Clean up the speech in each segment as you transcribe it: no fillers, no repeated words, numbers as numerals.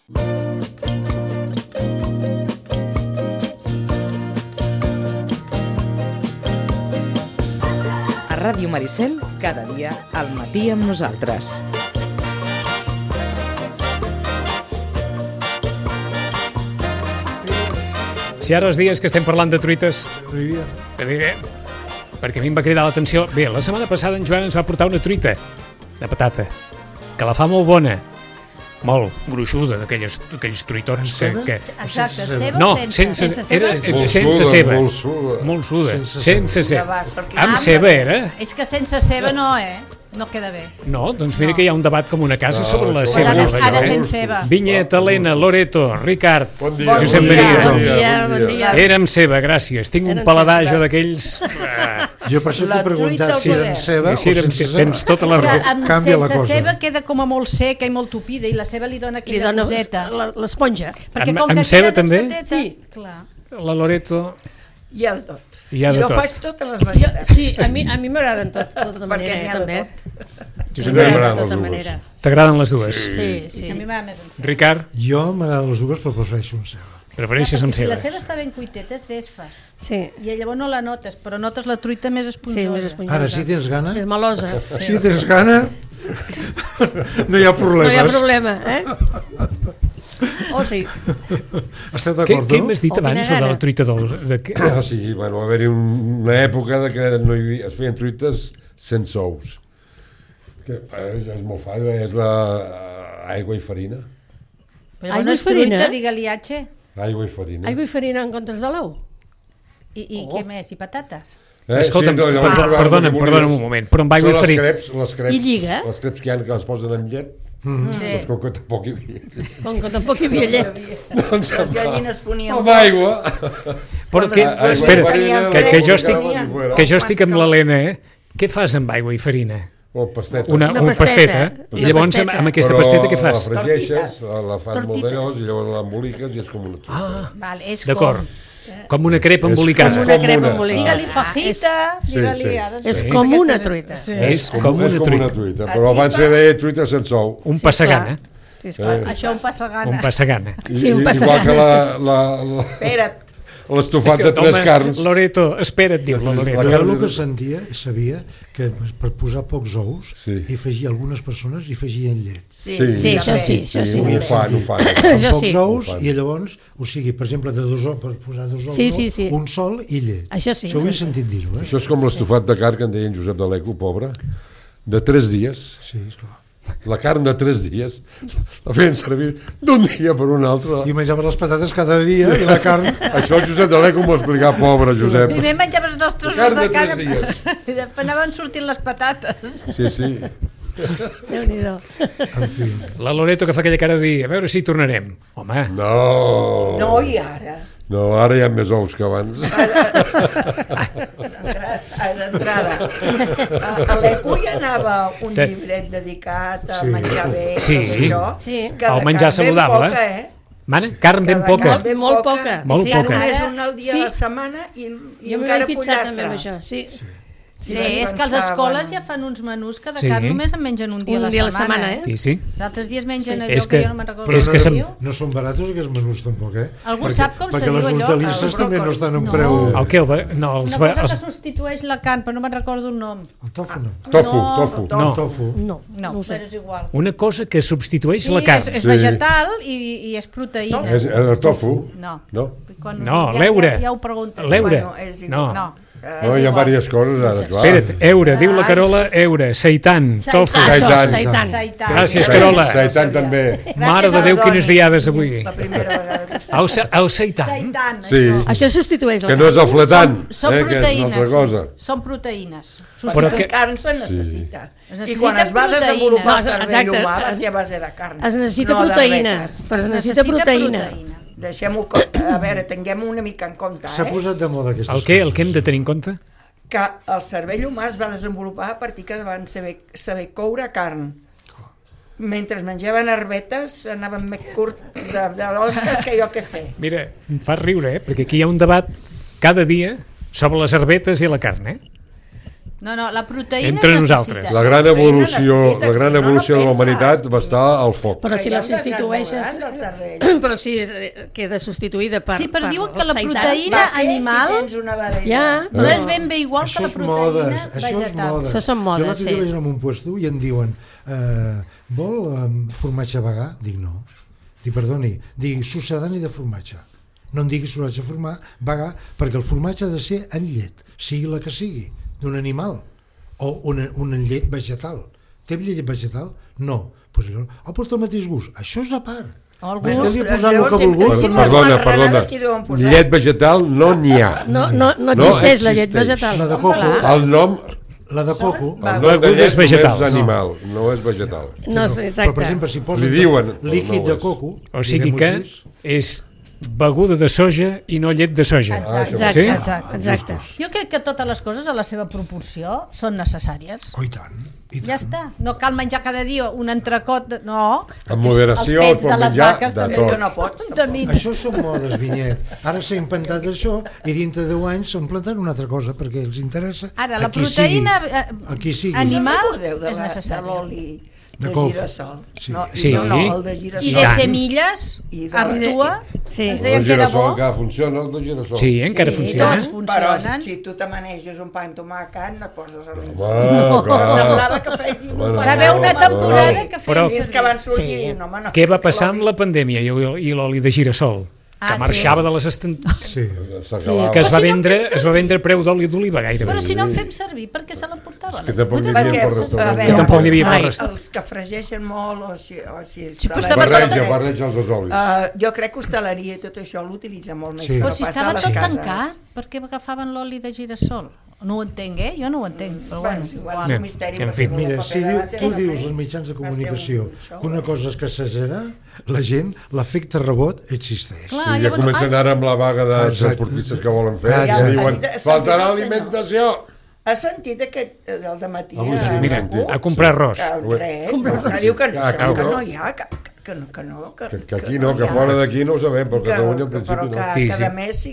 A Ràdio Maricel, cada dia al matí amb nosaltres. Si ara els dies que estem parlant de truites, perquè a mi em va cridar l'atenció. Bé, la setmana passada en Joan ens va portar una truita de patata, que la fa molt bona, molt gruixuda, d'aquells truitons que... Exacte, ceba no, o sense? sense ceba. Molt suda. Sense ceba. Amb ceba era? És que sense ceba no, no queda bé. No, doncs mira que hi ha un debat com una casa sobre la ceba. Ha de ser ceba. Vinyet, Helena, Loreto, Ricard, Josep Bon Maria. Era amb ceba, gràcies. Tinc un paladar jo d'aquells... Jo per això t'he preguntat si era amb ceba o sense ceba. Tens tota la raó. Canvia la cosa. Sense ceba queda com a molt seca i molt tupida i la ceba li dona aquella coseta. L'esponja. Amb ceba també? Sí, clar. La Loreto... Hi ha de tot. Jo faig totes les varietats. Sí, a mi m'agraden tota manera, també. T'agraden les dues? Sí. A mi m'agrada més amb ceba. Ricard? Jo m'agraden les dues, però prefereixo amb ceba. Prefereixes amb Si ceba? la ceba està ben cuiteta és d'esfa. Sí. I llavors no la notes, però notes la truita més esponjosa. Sí, més esponjosa. Ara, si tens gana... És melosa. Si tens gana, no hi ha problemes. No hi ha problema, Oh, sí. Esteu d'acord, Què m'has dit abans de la truita dolça? Sí, bueno, va haver-hi una època que no es feien truites sense ous. Que és molt fàcil, és aigua i farina. Però no és truita, digue-li H. Aigua i farina. Aigua i farina en comptes de l'ou? I què més? I patates? Escolta'm, perdona'm un moment, però amb aigua i farina... I lliga? Les creps que hi ha que les posen amb llet, doncs com que tampoc hi havia llet. Com que tampoc hi havia llet. Doncs Les gallines ponien... amb aigua. Però espera, que jo estic amb l'Helena, què fas amb aigua i farina? Pasteta. Una pasteta. I llavors amb aquesta pasteta què fas? Però la fregeixes, la fas molt d'allòs i llavors l'emboliques i és com una truita. D'acord. Com una crepa embolicada. Com una crepa embolicada. Digue-li fajita, digue-li... És com una truita. És com una truita. Però abans se deia truita sense ou. Un passagana. Això un passagana. Un passagana. Sí, un passagana. Igual que Espera't. l'estofat de tres carns. Loreto, espera't, diu la Loreto. Jo el que sabia que per posar pocs ous hi afegia algunes persones i afegien llet. Sí, això sí. Ho fan. Pocs ous i llavors, o sigui, per exemple, per posar dos ous, un sol i llet. Això sí. Això ho he sentit dir-ho. Això és com l'estofat de carn que en deia en Josep de l'Eco, pobre, de 3 dies. Sí, esclar. La carn de 3 dies la feien servir d'un dia per un altre. I menjaves les patates cada dia i la carn... Això el Josep de l'Eco m'ho va explicar, pobre Josep. Primer menjaves 2 trossos de carn i després anaven sortint les patates. Sí. Déu-n'hi-do. En fi. La Loreto que fa aquella cara de dir, a veure si hi tornarem. Home. No, i ara? No, ara hi ha més ous que abans. D'entrada. A l'Eco hi anava un llibret dedicat a menjar bé, al menjar saludable. Mana, carn ben poca. Molt poca. Molt poca. Només un al dia a la setmana i encara pollastre. Sí, és que a les escoles ja fan uns menús que de carn només en mengen un dia a la setmana. Sí. Els altres dies mengen allò que jo no me'n recordo. És que no són barats aquests menús tampoc, Algú sap com se diu allò? Perquè les hortalisses també no estan en preu... Una cosa que substitueix la carn, però no me'n recordo el nom. El tofu no. Tofu. No, però és igual. Una cosa que substitueix la carn. És vegetal i és proteïna. El tofu? No. No, l'eure. Ja ho pregunto. L'eure. No. No, hi ha diverses coses ara, clar. Espera't, eure, diu la Carola, eure, seitan, tofu. Seitan. Gràcies, Carola. Seitan també. Mare de Déu, quines diades avui. La primera vegada. El seitan. Sí. Això substitueix la carn. Que no és el fletant, que és una altra cosa. Són proteïnes. Substituir carn se necessita. I quan es va desenvolupar el cervell humà va ser a base de carn. Es necessita proteïna. Però es necessita proteïna. Deixem-ho, a veure, tinguem una mica en compte. S'ha posat de moda aquesta cosa. El que hem de tenir en compte? Que el cervell humà es va desenvolupar a partir que van saber coure carn. Mentre menjaven herbetes anaven més curts de l'osques que jo que sé. Mira, em fa riure, perquè aquí hi ha un debat cada dia sobre les herbetes i la carn, No, la proteïna entre nosaltres. La gran evolució de la humanitat va estar al foc. Però si la substitueixes... Però si queda substituïda per... Sí, però diuen que la proteïna animal no és ben bé igual que la proteïna vegetal. Això són modes, sí. Jo vaig anar a un puesto i em diuen vol formatge vegà? Dic no. Dic, perdoni, dic succedani de formatge. No em diguis formatge vegà, perquè el formatge ha de ser en llet, sigui la que sigui, d'un animal, o una llet vegetal. Té llet vegetal? No. Pues el mateix gust. Això és a part. Perdona. Llet vegetal no n'hi ha. No existeix la llet vegetal. La de coco. El nom... La de coco. El nom de llet és animal, no és vegetal. Però, per exemple, si posen líquid de coco... O sigui que és beguda de soja i no llet de soja. Exacte. Jo crec que totes les coses a la seva proporció són necessàries. Oh, i tant. Ja està, no cal menjar cada dia un entrecot, no. En moderació els pets de les vaques de també que no pots. Això són modes, Vinyet. Ara s'ha inventat això i dintre de 10 anys s'han plantat una altra cosa perquè els interessa. Ara, la proteïna animal és necessària. De girassol. Sí. El de girassol. I de semilles, artua, ens deien que era bo. Encara funciona, el de girassol. Sí, encara funciona. Tots funcionen. Però si tu te maneges un pa amb tomàquet, no et poses a l'ins. Semblava que fegin un pa. Va haver una temporada que feien que van sortir. Què va passar amb la pandèmia i l'oli de girassol? Que marxava de les que es va vendre preu d'oli d'oliva gairebé. Però si no en fem servir, per què se la portaven? Que tampoc n'hi havia per restaurant. Que tampoc n'hi havia per restaurant. Els que fregeixen molt o si barreja els dos olis. Jo crec que hostaleria i tot això l'utilitza molt més. Però si estava tot tancat, per què agafaven l'oli de girassol? No ho entenc, jo no ho entenc, però bueno, igual és un misteri. Mira, si tu dius als mitjans de comunicació que una cosa és que s'exagera, la gent, l'efecte rebot existeix. I ja comencen ara amb la vaga de transportistes que volen fer, i diuen, faltarà alimentació. Has sentit aquest del dematí? Mira, a comprar arròs. Que diu que no hi ha, que aquí no, que fora d'aquí no ho sabem, però Catalunya al principi no. Però que a més,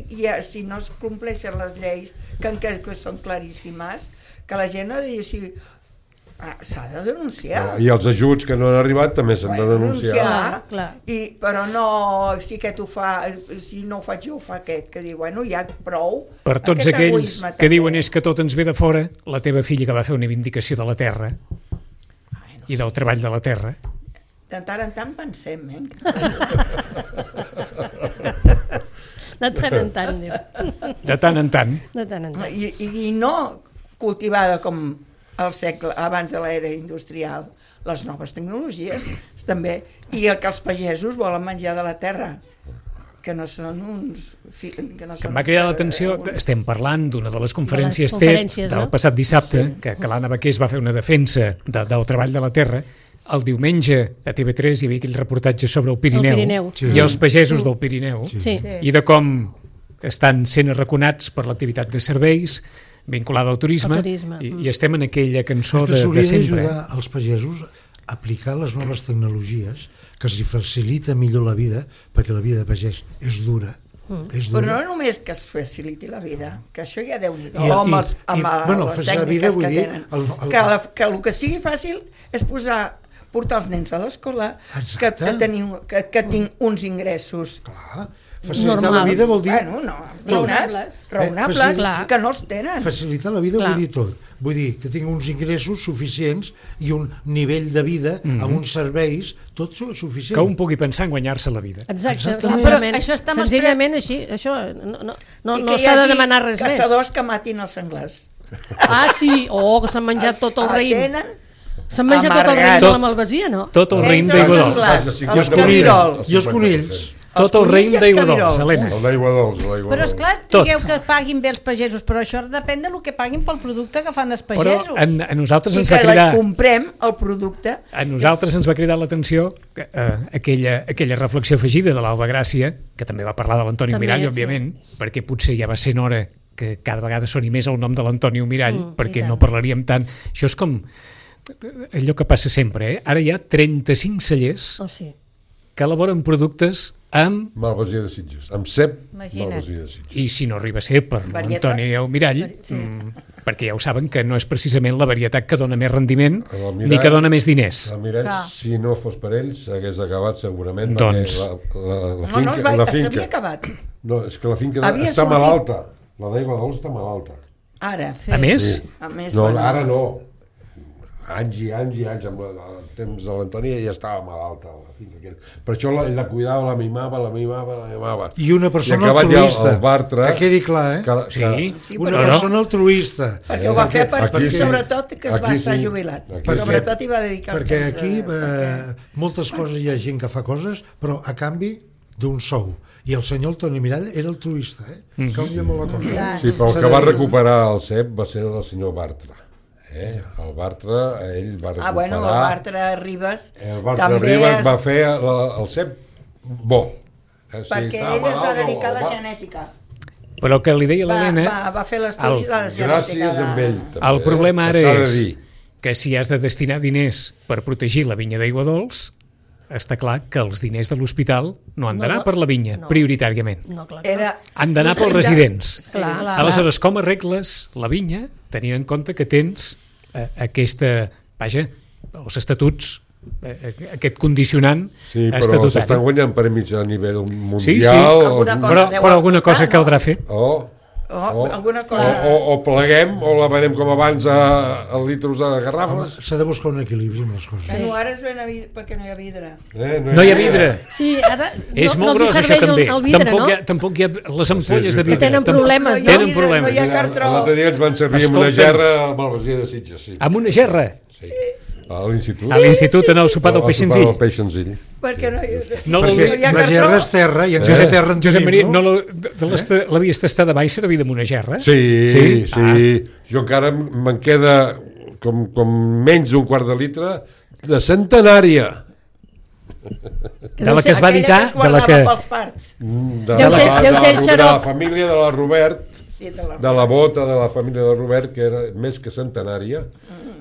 si no es compleixen les lleis, que són claríssimes, que la gent ha de dir així, s'ha de denunciar. I els ajuts que no han arribat també s'han de denunciar. Però no, si aquest ho fa, si no ho faig jo, ho fa aquest, que diu, bueno, ja prou. Per tots aquells que diuen és que tot ens ve de fora, la teva filla que va fer una vindicació de la terra i del treball de la terra, de tant en tant pensem, De tant en tant, diu. De tant en tant. I no cultivada com el segle abans de l'era industrial, les noves tecnologies també, i el que els pagesos volen menjar de la terra, que no són uns... Que em va cridar l'atenció, estem parlant d'una de les conferències TED del passat dissabte, que l'Anna Baqués va fer una defensa del treball de la terra. El diumenge a TV3 hi havia aquell reportatge sobre el Pirineu i els pagesos del Pirineu i de com estan sent arraconats per l'activitat de serveis vinculada al turisme i estem en aquella cançó de sempre. S'hauria d'ajudar els pagesos a aplicar les noves tecnologies que els facilita millor la vida, perquè la vida de pagès és dura. Però no només que es faciliti la vida, que això ja Déu-n'hi-do amb les tècniques que tenen, que el que sigui fàcil és portar els nens a l'escola, que tinc uns ingressos facilitar la vida vol dir raonables, que no els tenen. Facilitar la vida vol dir tot, vull dir que tinc uns ingressos suficients i un nivell de vida amb uns serveis, tot suficient. Que un pugui pensar en guanyar-se la vida. Exacte. Però això està senzillament així, això no s'ha de demanar res més. Caçadors que matin els senglars. Sí, que s'han menjat tot el raïm. S'han menjat tot el raïm de la malvasia, no? Tot el raïm d'aigua dolç. I els conills. Tot el raïm d'aigua dolç, Helena. El d'aigua dolç. Però esclar, digueu que paguin bé els pagesos, però això depèn del que paguin pel producte que fan els pagesos. Però a nosaltres ens va cridar... I que comprem el producte. A nosaltres ens va cridar l'atenció aquella reflexió afegida de l'Alba Gràcia, que també va parlar de l'Antoni Mirall, òbviament, perquè potser ja va ser en hora que cada vegada soni més el nom de l'Antoni Mirall, perquè no parlaríem tant. Això és com allò que passa sempre, Ara hi ha 35 cellers que elaboren productes amb... Malvasia de Sitges, amb cep malvasia de Sitges. I si no arriba a ser per l'Antoni Mirall, perquè ja ho saben que no és precisament la varietat que dona més rendiment ni que dona més diners. El Mirall, si no fos per ells, hagués acabat segurament, doncs... la finca... s'havia acabat. No, és que la finca està malalta. La d'aigua dolç està malalta. Ara. A més? No, ara no. Anys i anys, amb el temps de l'Antònia ja estava malalta la finca. Per això ell la cuidava, la mimava. I una persona altruista, Bartra, que quedi clar, una persona altruista. Perquè ho va fer sobretot que es va estar jubilat. Sobretot hi va dedicar els temps. Perquè aquí moltes coses hi ha gent que fa coses, però a canvi d'un sou. I el senyor Toni Mirall era altruista, canvia molt la cosa. Sí, però el que va recuperar el CEP va ser el senyor Bartra. El Bartra, ell va recuperar... Bueno, el Bartra Ribas... El Bartra Ribas va fer el CEP bo. Perquè ell es va dedicar a la genètica. Però que li deia l'Helena... Va fer l'estudi de la genètica. Gràcies amb ell. El problema ara és que si has de destinar diners per protegir la vinya d'aigua dolç, està clar que els diners de l'hospital no han d'anar per la vinya, prioritàriament. Han d'anar pels residents. Aleshores, com arregles la vinya tenint en compte que tens els estatuts, aquest condicionant estatutari? Sí, però s'estan guanyant premis a nivell mundial. Però alguna cosa caldrà fer. O pleguem o la venem com abans a litros de garrafes. S'ha de buscar un equilibri amb les coses. No, ara es ven perquè no hi ha vidre. No hi ha vidre. Sí, ara és molt gros això també. Tampoc hi ha les ampolles de vidre. Tenen problemes. No hi ha cartró. L'altre dia ens van servir amb una gerra a Malvasia de Sitges. Amb una gerra? Sí. A l'institut. A l'institut, en el sopar del Peix Senzill. Perquè no hi ha la gerra és terra i en casa terra en tenim, no? L'havies tastada mai servir amb una gerra? Sí. Jo encara me'n queda com menys d'un quart de litre de centenària. De la que es va editar, de la que... De la família de la Robert, de la bota de la família de Robert, que era més que centenària.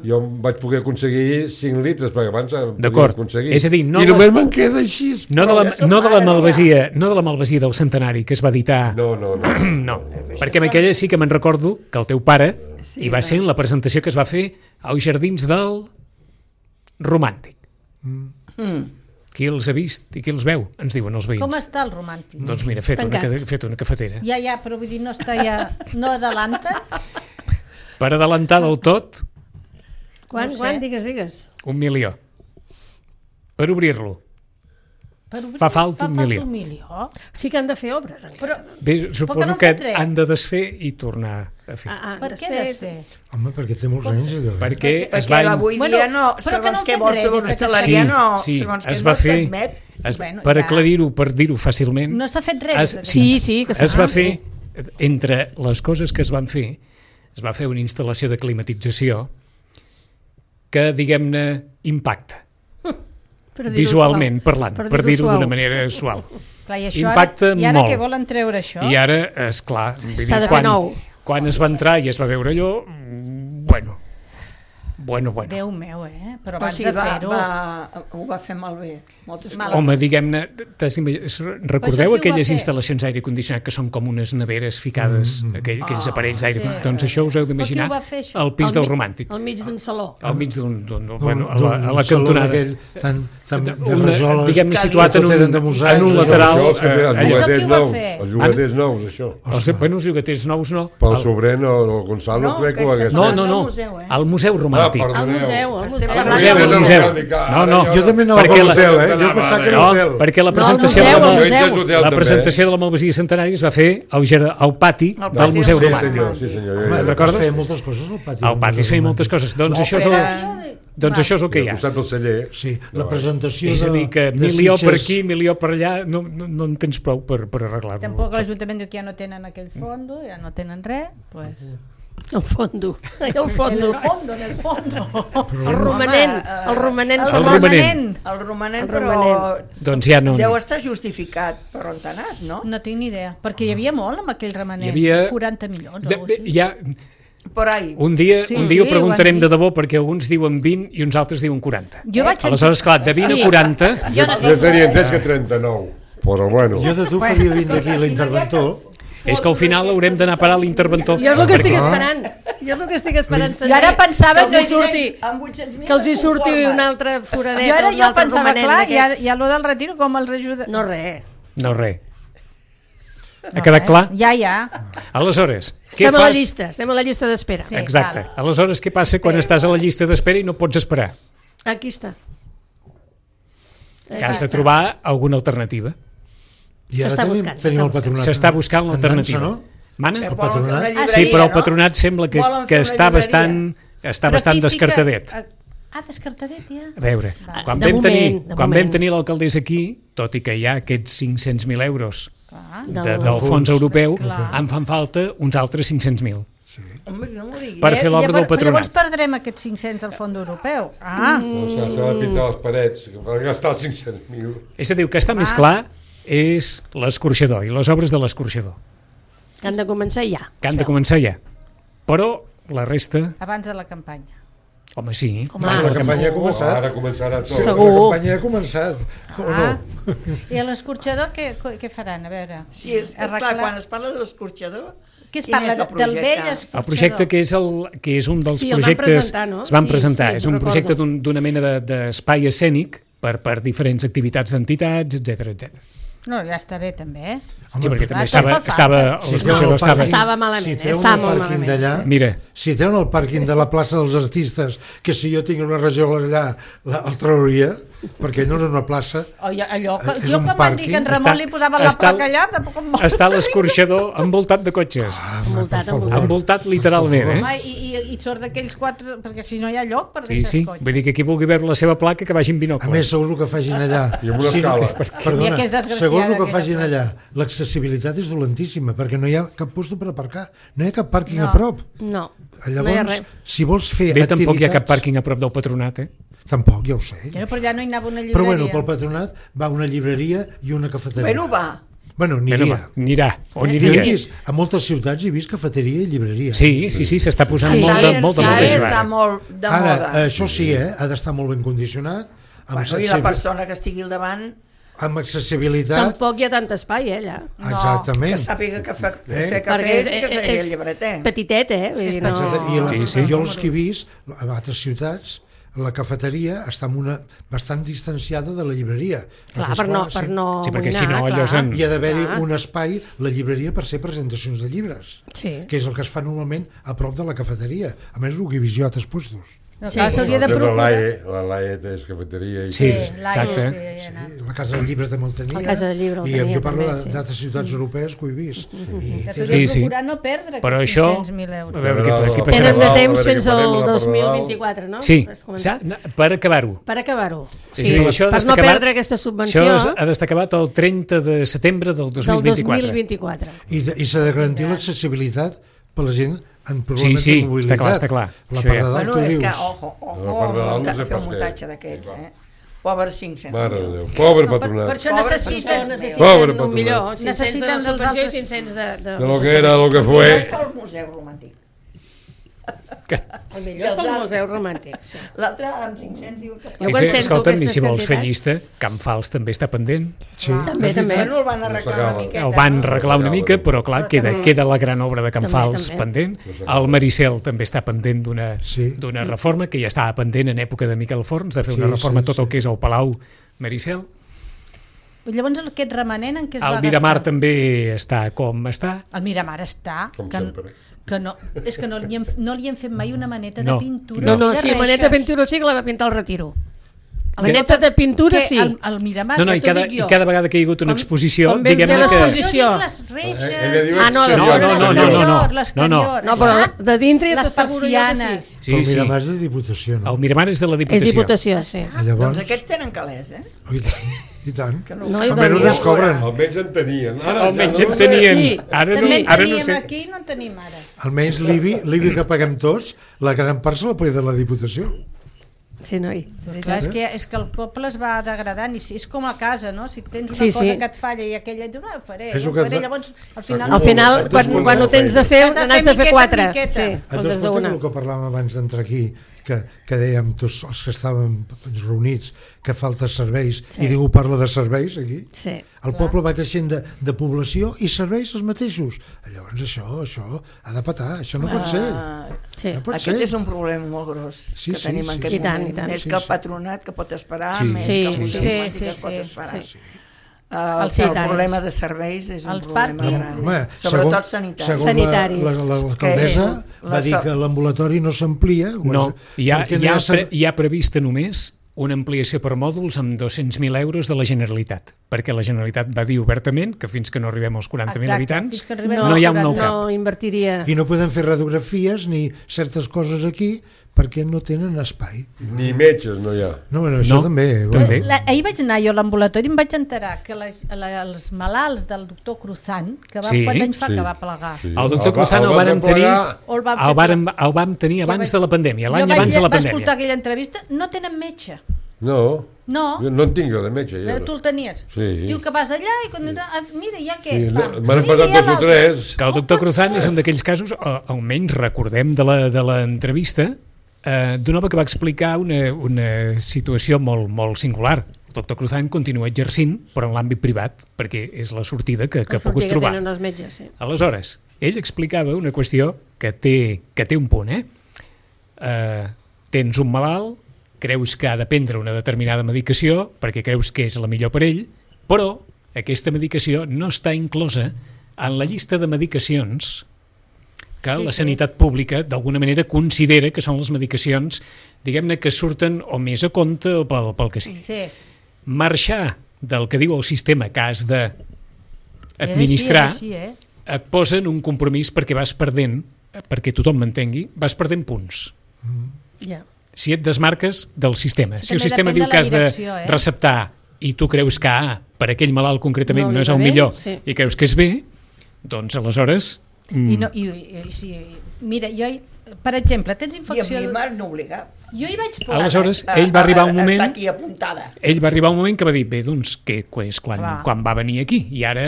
Jo vaig poder aconseguir 5 litres, perquè abans podia aconseguir. És a dir, i només me'n queda així. No de la Malvasia del centenari que es va editar. No. Perquè amb aquella sí que me'n recordo que el teu pare hi va ser en la presentació que es va fer als Jardins del Romàntic. Qui els ha vist i qui els veu? Ens diuen els veïns. Com està el Romàntic? Doncs mira, fet una cafetera. Ja, però vull dir, no està ja... No adelanta? Per adelantar del tot... Quan? Digues. 1 milió. Per obrir-lo. Fa falta 1 milió. Sí que han de fer obres. Bé, suposo que han de desfer i tornar a fer. Per què desfer? Home, perquè té molts anys. Perquè avui dia no, segons què vols fer hostaleria, segons què no s'admet. Per aclarir-ho, per dir-ho fàcilment... No s'ha fet res. Sí, que es va fer, entre les coses que es van fer, es va fer una instal·lació de climatització que, diguem-ne, impacta. Visualment parlant, per dir-ho d'una manera suau. Impacta molt. I ara què volen treure això? I ara, esclar, quan es va entrar i es va veure allò, bueno. Déu meu, però abans de fer-ho... Ho va fer malbé. Home, diguem-ne, recordeu aquelles instal·lacions d'aire condicionat que són com unes neveres ficades, aquells aparells d'aire? Doncs això us heu d'imaginar al pis del Romàntic. Al mig d'un saló. Al mig d'un... a la cantonada. Diguem-ne, situat en un lateral. Això qui ho va fer? Els llogaters nous, això. Bueno, els llogaters nous no. Pel sobrer, el Gonzalo crec que ho hagués fet. No, al Museu Romàntic. Al museu. No. Jo també anava a l'hotel, Jo pensava que era l'hotel. Perquè la presentació de la Malvasia Centenària es va fer al pati del Museu Romàntic. Sí, senyor. Recordes? Es feia moltes coses al pati. Al pati es feia moltes coses. Doncs això és el que hi ha. Al costat del celler. Sí, la presentació de... És a dir, que milió per aquí, milió per allà, no en tens prou per arreglar-ho. Tampoc l'Ajuntament diu que ja no tenen aquell fondo, ja no tenen res, doncs... El fondo. En el fondo. El romanent, però... Doncs ja no... Deu estar justificat per on t'ha anat, no? No tinc ni idea, perquè hi havia molt amb aquell romanent. 40 milions o així. Un dia ho preguntarem de debò, perquè alguns diuen 20 i uns altres diuen 40. Aleshores, clar, de 20 a 40... Jo tenia entès que 39, però bueno. Jo de tu faria 20 d'aquí l'interventor. És que al final haurem d'anar a parar l'interventor. Jo és el que estic esperant. Jo el que estic esperant jo ara pensava que els hi surti un altre foradet, jo pensava, clar, ja lo del retiro com els ajuda. No res. Ha quedat clar? Ja. Aleshores, què estem fas? Estem a la llista d'espera. Sí, exacte. Aleshores, què passa quan estàs a la llista d'espera i no pots esperar? Aquí està. Que has de trobar alguna alternativa. I ara tenim el patronat. S'està buscant l'alternativa. Mana? El patronat? Sí, però el patronat sembla que està bastant descartadet. Descartadet, ja. A veure, quan vam tenir l'alcaldessa aquí, tot i que hi ha aquests 500.000 euros del fons europeu, en fan falta uns altres 500.000 per fer l'obra del patronat. Llavors perdrem aquests 500 del fons europeu. S'ha de pintar les parets per gastar els 500.000. És a dir, que està més clar és l'escorxador i les obres de l'escorxador. Que han de començar ja. Però la resta... Abans de la campanya. Home, sí. La campanya ha començat. Ara començarà tot. Segur. La campanya ha començat. I a l'escorxador què faran? A veure. Sí, és clar, quan es parla de l'escorxador... Què es parla? Del vell escorxador? El projecte que és un dels projectes... Es van presentar. És un projecte d'una mena d'espai escènic per diferents activitats d'entitats, etc. No, ja està bé també, Sí, perquè també estava malament. Si treuen el pàrquing d'allà, si treuen el pàrquing de la plaça dels artistes, que si jo tinc una regió allà el trauria, perquè no és una plaça, allò que jo quan van dir que en Ramon li posava la placa allà, tampoc em mola. Està l'escorxador envoltat de cotxes. Envoltat literalment, I sort d'aquells 4, perquè si no hi ha lloc per deixar els cotxes. Vull dir que qui vulgui veure la seva placa que vagin binocle. A més, segons el que facin allà, segons el que facin allà, l'accessibilitat és dolentíssima, perquè no hi ha cap lloc per aparcar, no hi ha cap pàrquing a prop. No. Llavors, si vols fer activitats... Tampoc hi ha cap pàrquing a prop del patronat, Tampoc, ja ho sé. Però ja no hi anava una llibreria. Però bueno, pel patronat va una llibreria i una cafeteria. Bueno, anirà. A moltes ciutats he vist cafeteria i llibreria. Sí, s'està posant molt de moda. Ara, això sí, ha d'estar molt ben condicionat. I la persona que estigui al davant... Amb accessibilitat... Tampoc hi ha tant espai, allà. Exactament. Que sàpiga que fer cafè i que seguir el llibreter. Petitet, I jo els que he vist, a altres ciutats, la cafeteria està bastant distanciada de la llibreria. Clar, per no perquè si no allò hi ha d'haver-hi un espai, la llibreria, per ser presentacions de llibres, que és el que es fa normalment a prop de la cafeteria. A més, el que he vist jo a altres puestos. S'hauria de procurar. La Laie és cafeteria. Sí, exacte. La Casa del Llibre també el tenia. La Casa del Llibre el tenia. I jo parlo d'altres ciutats europees que ho he vist. S'hauria de procurar no perdre aquests 500.000 euros. Tenen de temps fins al 2024, no? Sí, per acabar-ho. Per no perdre aquesta subvenció. Això ha d'estar acabat el 30 de setembre del 2024. I s'ha de garantir l'accessibilitat per la gent en problemes de mobilitat. Està clar. La part de dalt, tu dius. És que, ojo, fer un muntatge d'aquests, Pobre 500.000. Mare de Déu, pobre patronat. Per això necessiten un millor. Necessiten els altres 500 de lo que era, lo que fue. És pel Museu Romàntic. El millor és pel Museu Romàntic. L'altre amb 500 diu que... Escolta'm, i si vols fer llista, Can Fals també està pendent. També. El van arreglar una miqueta. El van arreglar una mica, però clar, queda la gran obra de Can Fals pendent. El Maricel també està pendent d'una reforma, que ja estava pendent en època de Miquel Forns, de fer una reforma tot el que és el Palau Maricel. Llavors aquest remanent en què es va gastar? El Miramar també està com està. El Miramar està... Com sempre. Que no, és que no li hem fet mai una maneta de pintura. No, sí, maneta de pintura sí que la va pintar el Retiro. La maneta de pintura sí. El Miramar, i cada vegada que hi ha hagut una exposició, diguem-ne que... Jo dic les reixes... l'exterior. No, però de dintre les persianes. Però el Miramar és de Diputació, no? El Miramar és de la Diputació. És Diputació, sí. Doncs aquests tenen calés, I tant. Almenys no es cobren. Almenys en tenien. Almenys en tenien. Ara no sé. Aquí no en tenim ara. Almenys l'IBI que paguem tots, la gran part se la paga de la Diputació. Sí, noi. Clar, és que el poble es va degradant i és com a casa, no? Si tens una cosa que et falla i aquella et diu, no, ho faré. Llavors, al final, quan ho tens de fer, n'has de fer 4. Et dones compte que el que parlàvem abans d'entrar aquí, que dèiem tots els que estàvem reunits que falta serveis, i ningú parla de serveis aquí. El poble va creixent de població i serveis els mateixos. Llavors això ha de petar, això no pot ser. Aquest és un problema molt gros que tenim en aquest moment, més que el patronat que pot esperar, més que el Consell que pot esperar. El problema de serveis és un problema gran, sobretot sanitaris. Segons l'alcaldessa va dir que l'ambulatori no s'amplia. No, hi ha prevista només una ampliació per mòduls amb 200.000 euros de la Generalitat, perquè la Generalitat va dir obertament que fins que no arribem als 40.000 habitants no hi ha un nou cap. I no podem fer radiografies ni certes coses aquí perquè no tenen espai. Ni metges no hi ha. Això també. Ahir vaig anar jo a l'ambulatori i em vaig enterar que els malalts del doctor Cruzán, que quants anys fa que va plegar? El doctor Cruzán el vam tenir abans de la pandèmia, l'any abans de la pandèmia. Va escoltar aquella entrevista, no tenen metge. No en tinc jo de metge. Tu el tenies? Diu que vas allà i quan... Mira, ja què? M'han passat 2 o 3. Que el doctor Cruzán és un d'aquells casos, almenys recordem de l'entrevista, d'un home que va explicar una situació molt singular. El doctor Cruzán continua exercint, però en l'àmbit privat, perquè és la sortida que ha pogut trobar. Que tenen els metges, sí. Aleshores, ell explicava una qüestió que té un punt. Tens un malalt, creus que ha de prendre una determinada medicació perquè creus que és la millor per ell, però aquesta medicació no està inclosa en la llista de medicacions que la sanitat pública d'alguna manera considera que són les medicacions, diguem-ne, que surten o més a compte o pel que sigui. Marxar del que diu el sistema que has d'administrar et posa en un compromís perquè vas perdent, perquè tothom m'entengui, vas perdent punts. Si et desmarques del sistema. Si el sistema diu que has de receptar i tu creus que per aquell malalt concretament no és el millor i creus que és bé, doncs aleshores... Mira, jo, per exemple, tens infecció... I a mi m'han obligat. Jo hi vaig poder... Aleshores, ell va arribar un moment... Està aquí apuntada. Ell va arribar un moment que va dir, bé, doncs, que és quan va venir aquí, i ara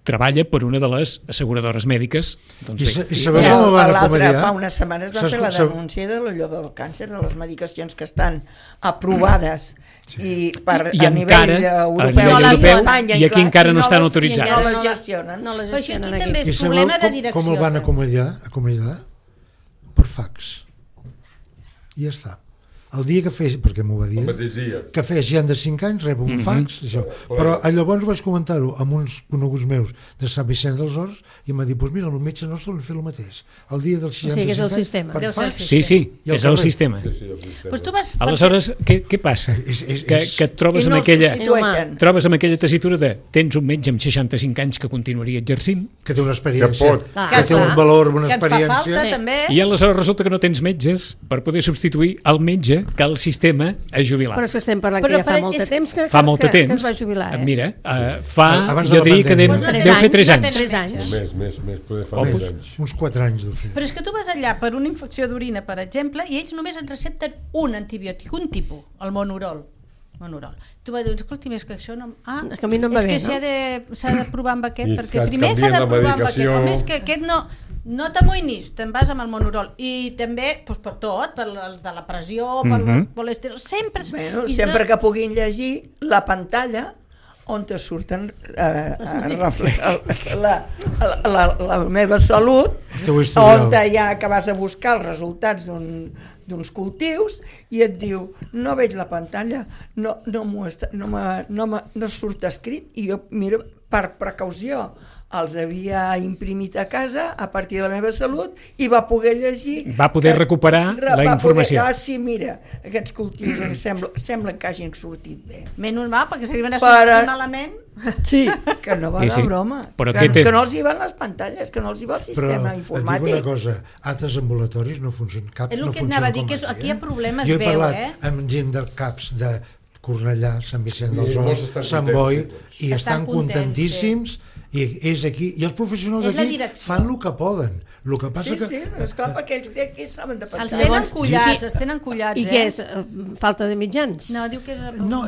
treballa per una de les asseguradores mèdiques. L'altre, fa unes setmanes va fer la denúncia de allò del càncer, de les medicacions que estan aprovades a nivell europeu i aquí encara no estan autoritzades. No les gestionen. Però això aquí també és problema de direcció. Com el van acomiadar? Per fax. I ja està. El dia que fes, perquè m'ho va dir, que fes gent de 5 anys rep un fax, això. Però llavors vaig comentar-ho amb uns coneguts meus de Sant Vicenç dels Horts i m'ha dit, doncs mira, el metge nostre li fa el mateix. El dia dels 65 anys... és el sistema. Per fax... Sí, és el sistema. Aleshores, què passa? Que et trobes amb aquella tessitura de tens un metge amb 65 anys que continuaria exercint, que té una experiència, que té un valor, una experiència... Que ens fa falta, també. I aleshores resulta que no tens metges per poder substituir el metge que el sistema ha jubilat. Però és que estem parlant que ja fa molt de temps que es va jubilar. Mira, jo diria que deu fer 3 anys. 3 anys. Més, poder fa 3 anys. Uns 4 anys deu fer. Però és que tu vas allà per una infecció d'orina, per exemple, i ells només et recepten un antibiòtic, un tipus, el Monurol. Tu vas dir, escolti, més que això no... que a mi no em va bé, no? És que s'ha de provar amb aquest, perquè primer s'ha de provar amb aquest, o més que aquest no t'amoïnis, te'n vas amb el Monurol i també per tot, per de la pressió, per el colesterol, sempre que puguin llegir la pantalla on te surten la meva salut, on ja que vas a buscar els resultats d'uns cultius i et diu, no veig la pantalla, no surt escrit, i jo, mira, per precaució els havia imprimit a casa a partir de la meva salut i va poder llegir... Va poder recuperar la informació. Sí, mira, aquests cultius sembla que hagin sortit bé. Menys mal, perquè si van a sortir malament... Sí, que no va de broma. Que no els hi van les pantalles, que no els hi va el sistema informàtic. Però et dic una cosa, altres ambulatoris no funcionen cap. És el que anava a dir, que aquí hi ha problemes jo he parlat amb gent del CAPS de Cornellà, Sant Vicenç dels Horts, Sant Boi, i estan contentíssims I és aquí, i els professionals aquí fan el que poden. El que passa sí, esclar, perquè ells aquí saben de pensar. Els tenen collats, I què és? Falta de mitjans? No, diu que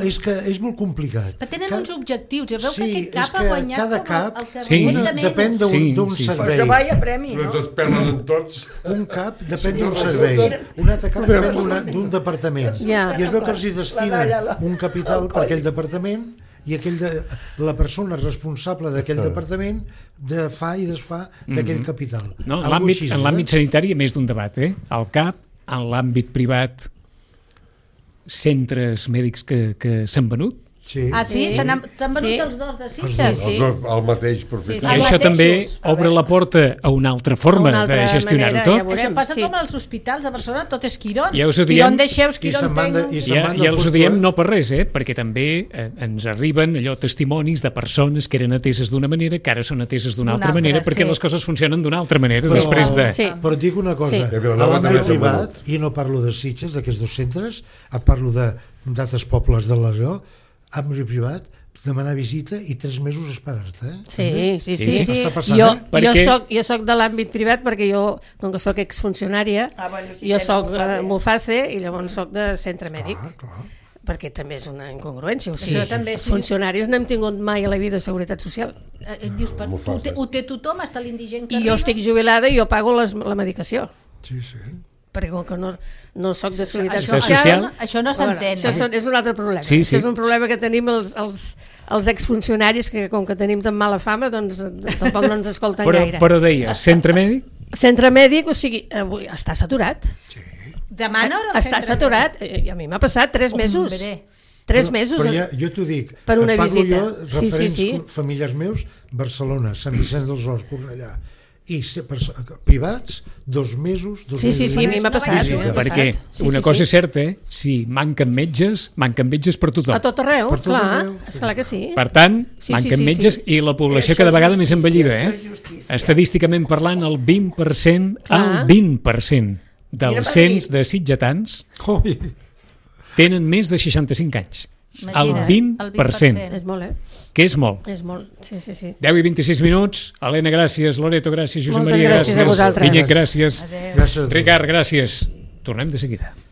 és que és molt complicat. Però tenen uns objectius, ja veu que aquest cap ha guanyat cada cap el que depèn d'un servei. Per això vaia premi, no? Tots perden en tots. Un cap depèn d'un servei, un altre cap depèn d'un departament. I es veu que els hi destinen un capital per aquell departament i la persona responsable d'aquell departament fa i desfà d'aquell capital. No, en l'àmbit sanitari hi ha més d'un debat, el CAP, en l'àmbit privat, centres mèdics que s'han venut. Sí. Ah, sí? S'han venut els dos de Sitges? El mateix, perfecte. I això també obre la porta a una altra forma de gestionar-ho tot. Això passa com als hospitals de Barcelona, tot és Quirón. Ja us ho diem, Quirón deixeus, Quirón tengo. Ja us ho diem no per res, perquè també ens arriben testimonis de persones que eren ateses d'una manera, que ara són ateses d'una altra manera, perquè les coses funcionen d'una altra manera després de... Però et dic una cosa, a l'àmbit privat, i no parlo de Sitges, d'aquests dos centres, parlo d'altres pobles de l'Aragó, àmbit privat, demanar visita i 3 mesos esperar-te. Sí. Jo soc de l'àmbit privat perquè jo, com que soc exfuncionària, jo soc Muface i llavors soc de centre mèdic. Perquè també és una incongruència. O sigui, els funcionaris no hem tingut mai a la vida de seguretat social. Dius, ho té tothom, hasta l'indigent que arriba? I jo estic jubilada i jo pago la medicació. Sí. Perquè com que no soc de seguretat social, això no s'entén. Això és un altre problema. Això és un problema que tenim els exfuncionaris, que com que tenim tan mala fama, doncs tampoc no ens escolten gaire. Però deia, centre mèdic? Centre mèdic, o sigui, avui està saturat. Sí. Demana hora al centre mèdic. Està saturat, i a mi m'ha passat 3 mesos. 3 mesos. Però jo t'ho dic, per una visita. Parlo jo, referents familiars meus, Barcelona, Sant Vicenç dels Horts, Cornellà, i privats, 2 mesos, 2 mesos. Sí, a mi m'ha passat. Perquè una cosa és certa, si manquen metges per tothom. A tot arreu, clar que sí. Per tant, manquen metges i la població cada vegada més envellida. Estadísticament parlant, el 20% dels cens de sitgetans tenen més de 65 anys. El 20%. És molt, que és molt. És molt, sí. 10 i 26 minuts. Helena, gràcies. Loreto, gràcies. Josep Maria, gràcies. Vinyet, gràcies. Ricard, gràcies. Tornem de seguida.